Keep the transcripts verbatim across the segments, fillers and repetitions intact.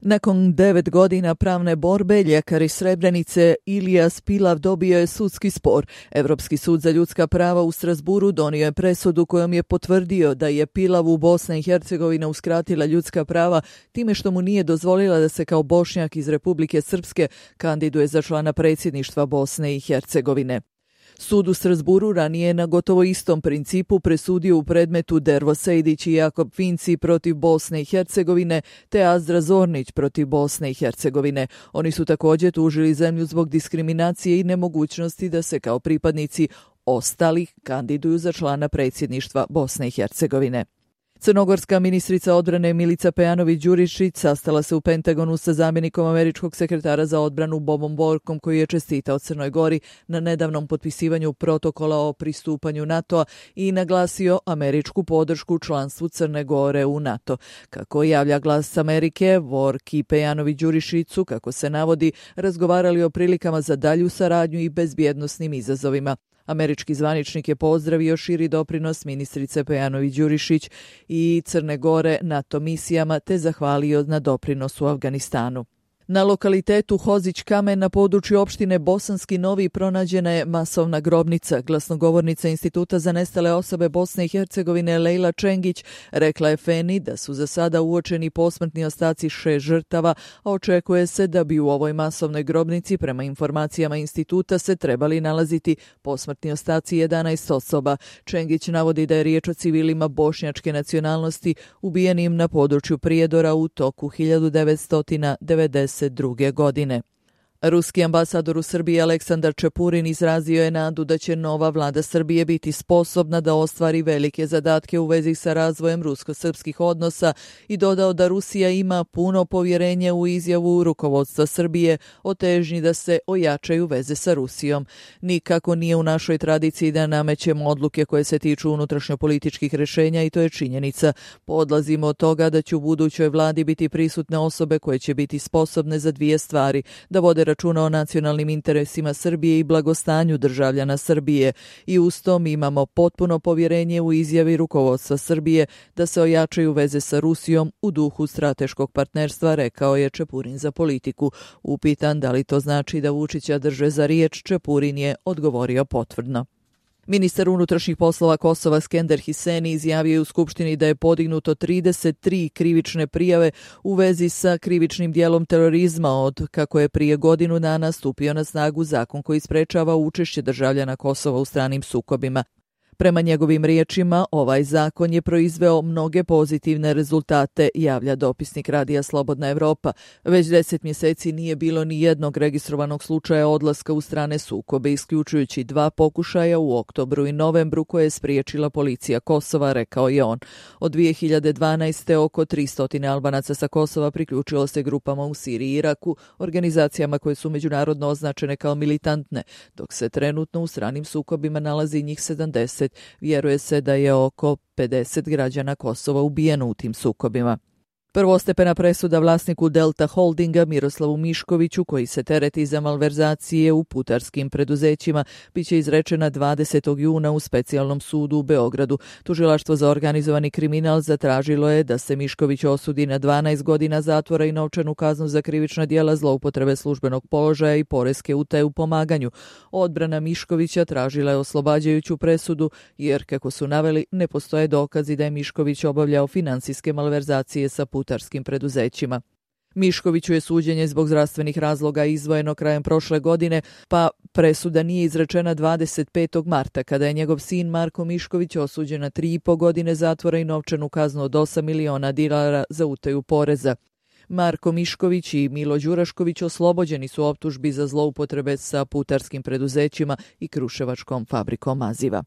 Nakon devet godina pravne borbe, ljekar iz Srebrenice Ilija Spilav dobio je sudski spor. Evropski sud za ljudska prava u Strasburu donio je presudu kojom je potvrdio da je Pilavu Bosna i Hercegovina uskratila ljudska prava time što mu nije dozvolila da se kao Bošnjak iz Republike Srpske kandiduje za člana predsjedništva Bosne i Hercegovine. Sud u Strasburu ranije na gotovo istom principu presudio u predmetu Dervo Sejdić i Jakob Vinci protiv Bosne i Hercegovine te Azdra Zornić protiv Bosne i Hercegovine. Oni su također tužili zemlju zbog diskriminacije i nemogućnosti da se kao pripadnici ostalih kandiduju za člana predsjedništva Bosne i Hercegovine. Crnogorska ministrica odbrane Milica Pejanović-Đurišić sastala se u Pentagonu sa zamjenikom američkog sekretara za odbranu Bobom Borkom, koji je čestitao Crnoj Gori na nedavnom potpisivanju protokola o pristupanju NATO-a i naglasio američku podršku članstvu Crne Gore u NATO. Kako javlja Glas Amerike, Bork i Pejanović-Đurišić su, kako se navodi, razgovarali o prilikama za dalju saradnju i bezbjednosnim izazovima. Američki zvaničnik je pozdravio širi doprinos ministrice Pejanović-Đurišić i Crne Gore NATO misijama te zahvalio na doprinosu u Afganistanu. Na lokalitetu Hozić Kamen na području opštine Bosanski Novi pronađena je masovna grobnica. Glasnogovornica Instituta za nestale osobe Bosne i Hercegovine Lejla Čengić rekla je Feni da su za sada uočeni posmrtni ostaci šest žrtava, a očekuje se da bi u ovoj masovnoj grobnici prema informacijama instituta se trebali nalaziti posmrtni ostaci jedanaest osoba. Čengić navodi da je riječ o civilima bošnjačke nacionalnosti ubijenim na području Prijedora u toku hiljadu devetsto devedeset druge. godine. Ruski ambasador u Srbiji Aleksandar Čepurin izrazio je nadu da će nova vlada Srbije biti sposobna da ostvari velike zadatke u vezi sa razvojem rusko-srpskih odnosa i dodao da Rusija ima puno povjerenje u izjavu rukovodstva Srbije o težnji da se ojačaju veze sa Rusijom. Nikako nije u našoj tradiciji da namećemo odluke koje se tiču unutrašnjopolitičkih rješenja i to je činjenica. Podlazimo od toga da će u budućoj vladi biti prisutne osobe koje će biti sposobne za dvije stvari, da vode računa o nacionalnim interesima Srbije i blagostanju državljana Srbije i uz to mi imamo potpuno povjerenje u izjavi rukovodstva Srbije da se ojačaju veze sa Rusijom u duhu strateškog partnerstva, rekao je Čepurin za Politiku. Upitan da li to znači da Vučića drže za riječ, Čepurin je odgovorio potvrdno. Ministar unutrašnjih poslova Kosova Skender Hiseni izjavio je u Skupštini da je podignuto trideset tri krivične prijave u vezi sa krivičnim dijelom terorizma od kako je prije godinu dana stupio na snagu zakon koji sprečava učešće državljana Kosova u stranim sukobima. Prema njegovim riječima, ovaj zakon je proizveo mnoge pozitivne rezultate, javlja dopisnik radija Slobodna Evropa. Već deset mjeseci nije bilo ni jednog registrovanog slučaja odlaska u strane sukobe, isključujući dva pokušaja u oktobru i novembru koje je spriječila policija Kosova, rekao je on. Od dvije hiljade dvanaeste. oko tristo Albanaca sa Kosova priključilo se grupama u Siriji i Iraku, organizacijama koje su međunarodno označene kao militantne, dok se trenutno u stranim sukobima nalazi njih sedamdeset. Vjeruje se da je oko pedeset građana Kosova ubijeno u tim sukobima. Prvostepena presuda vlasniku Delta Holdinga Miroslavu Miškoviću, koji se tereti za malverzacije u putarskim preduzećima, biće izrečena dvadesetog juna u specijalnom sudu u Beogradu. Tužilaštvo za organizovani kriminal zatražilo je da se Mišković osudi na dvanaest godina zatvora i novčanu kaznu za krivična djela zloupotrebe službenog položaja i poreske utaje u pomaganju. Odbrana Miškovića tražila je oslobađajuću presudu jer, kako su naveli, ne postoje dokazi da je Mišković obavljao finansijske malverzacije sa putarskim preduzećima. Miškoviću je suđenje zbog zdravstvenih razloga izdvojeno krajem prošle godine, pa presuda nije izrečena dvadeset petog marta, kada je njegov sin Marko Mišković osuđen na tri i po godine zatvora i novčanu kaznu od osam miliona dinara za utaju poreza. Marko Mišković i Milo Đurašković oslobođeni su optužbi za zloupotrebe sa putarskim preduzećima i Kruševačkom fabrikom maziva.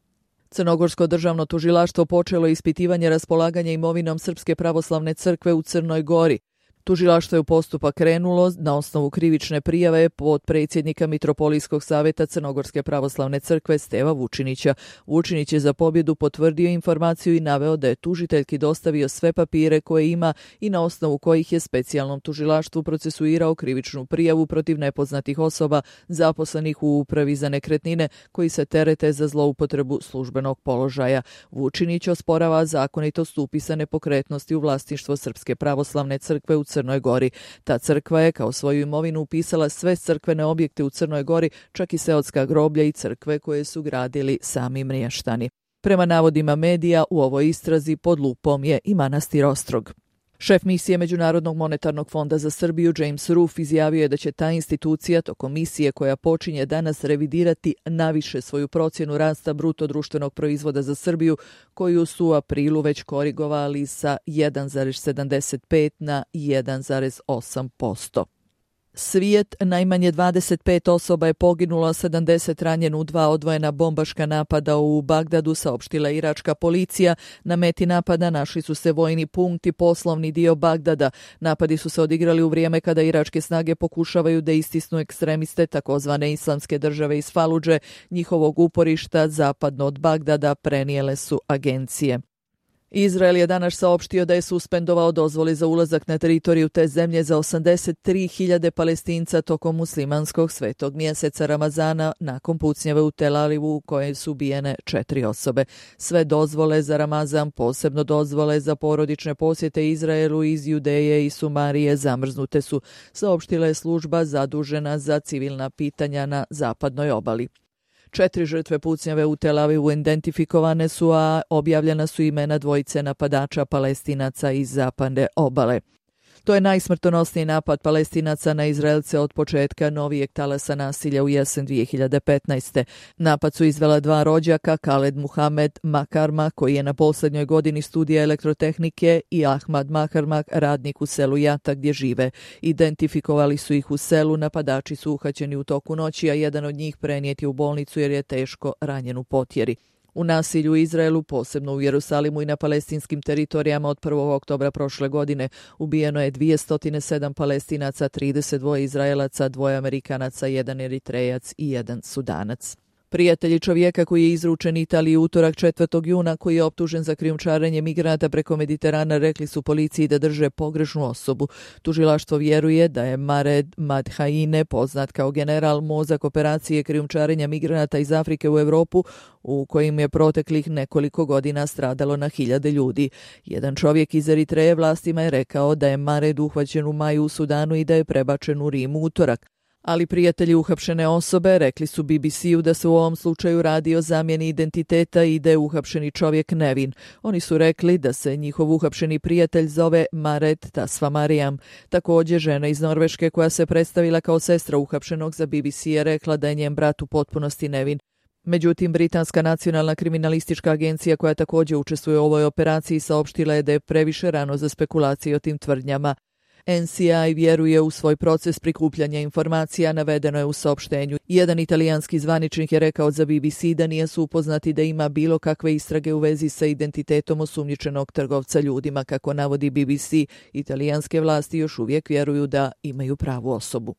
Crnogorsko državno tužilaštvo počelo je ispitivanje raspolaganja imovinom Srpske pravoslavne crkve u Crnoj Gori. Tužilaštvo je u postupak krenulo na osnovu krivične prijave pod predsjednika Mitropolijskog savjeta Crnogorske pravoslavne crkve Steva Vučinića. Vučinić je za pobjedu potvrdio informaciju i naveo da je tužiteljki dostavio sve papire koje ima i na osnovu kojih je specijalnom tužilaštvu procesuirao krivičnu prijavu protiv nepoznatih osoba zaposlenih u upravi za nekretnine koji se terete za zloupotrebu službenog položaja. Vučinić osporava zakonitost upisa nepokretnosti u vlasništvo Srpske pravoslavne crkve u Crnoj Gori. Ta crkva je kao svoju imovinu upisala sve crkvene objekte u Crnoj Gori, čak i seoska groblja i crkve koje su gradili sami mještani. Prema navodima medija, u ovoj istrazi pod lupom je i manastir Ostrog. Šef misije Međunarodnog monetarnog fonda za Srbiju James Roof izjavio je da će ta institucija tokom misije koja počinje danas revidirati naviše svoju procjenu rasta bruto društvenog proizvoda za Srbiju, koju su u aprilu već korigovali sa jedan zarez sedamdeset pet na jedan zarez osam posto. Svijet, najmanje dvadeset pet osoba je poginulo, a sedamdeset ranjeno u dva odvojena bombaška napada u Bagdadu, saopštila iračka policija. Na meti napada našli su se vojni punkti, poslovni dio Bagdada. Napadi su se odigrali u vrijeme kada iračke snage pokušavaju da istisnu ekstremiste takozvane islamske države iz Faludže. Njihovog uporišta zapadno od Bagdada prenijele su agencije. Izrael je danas saopštio da je suspendovao dozvoli za ulazak na teritoriju te zemlje za osamdeset tri hiljade Palestinca tokom muslimanskog svetog mjeseca Ramazana nakon pucnjave u Tel Avivu u kojoj su ubijene četiri osobe. Sve dozvole za Ramazan, posebno dozvole za porodične posjete Izraelu iz Judeje i Sumarije zamrznute su, saopštila je služba zadužena za civilna pitanja na zapadnoj obali. Četiri žrtve pucnjave u Tel Avivu identifikovane su, a objavljena su imena dvojice napadača Palestinaca iz zapadne obale. To je najsmrtonosniji napad Palestinaca na Izraelce od početka novijeg talasa nasilja u jesen dvije hiljade petnaeste. Napad su izvela dva rođaka, Khaled Muhamed Makarma, koji je na posljednjoj godini studija elektrotehnike, i Ahmad Makarmak, radnik u selu Jata gdje žive. Identifikovali su ih u selu, napadači su uhaćeni u toku noći, a jedan od njih prenijet je u bolnicu jer je teško ranjen u potjeri. U nasilju u Izraelu, posebno u Jerusalimu i na palestinskim teritorijama od prvog oktobra prošle godine, ubijeno je dvjesto sedam Palestinaca, trideset dva Izraelaca, dvoje Amerikanaca, jedan Eritrejac i jedan Sudanac. Prijatelji čovjeka koji je izručen Italiji utorak četvrtog juna, koji je optužen za krijumčarenje migranata preko Mediterana, rekli su policiji da drže pogrešnu osobu. Tužilaštvo vjeruje da je Mared Madhaine, poznat kao general, mozak operacije krijumčarenja migranata iz Afrike u Europu, u kojim je proteklih nekoliko godina stradalo na hiljade ljudi. Jedan čovjek iz Eritreje vlastima je rekao da je Mared uhvaćen u maju u Sudanu i da je prebačen u Rim u utorak. Ali prijatelji uhapšene osobe rekli su B B C-u da se u ovom slučaju radi o zamjeni identiteta i da je uhapšeni čovjek nevin. Oni su rekli da se njihov uhapšeni prijatelj zove Maret Tasvamarijam. Također, žena iz Norveške koja se predstavila kao sestra uhapšenog za B B C je rekla da je njen brat u potpunosti nevin. Međutim, Britanska nacionalna kriminalistička agencija, koja također učestvuje u ovoj operaciji, saopštila je da je previše rano za spekulacije o tim tvrdnjama. N C I vjeruje u svoj proces prikupljanja informacija, navedeno je u saopštenju. Jedan italijanski zvaničnik je rekao za B B C da nije su upoznati da ima bilo kakve istrage u vezi sa identitetom osumnjičenog trgovca ljudima. Kako navodi B B C, italijanske vlasti još uvijek vjeruju da imaju pravu osobu.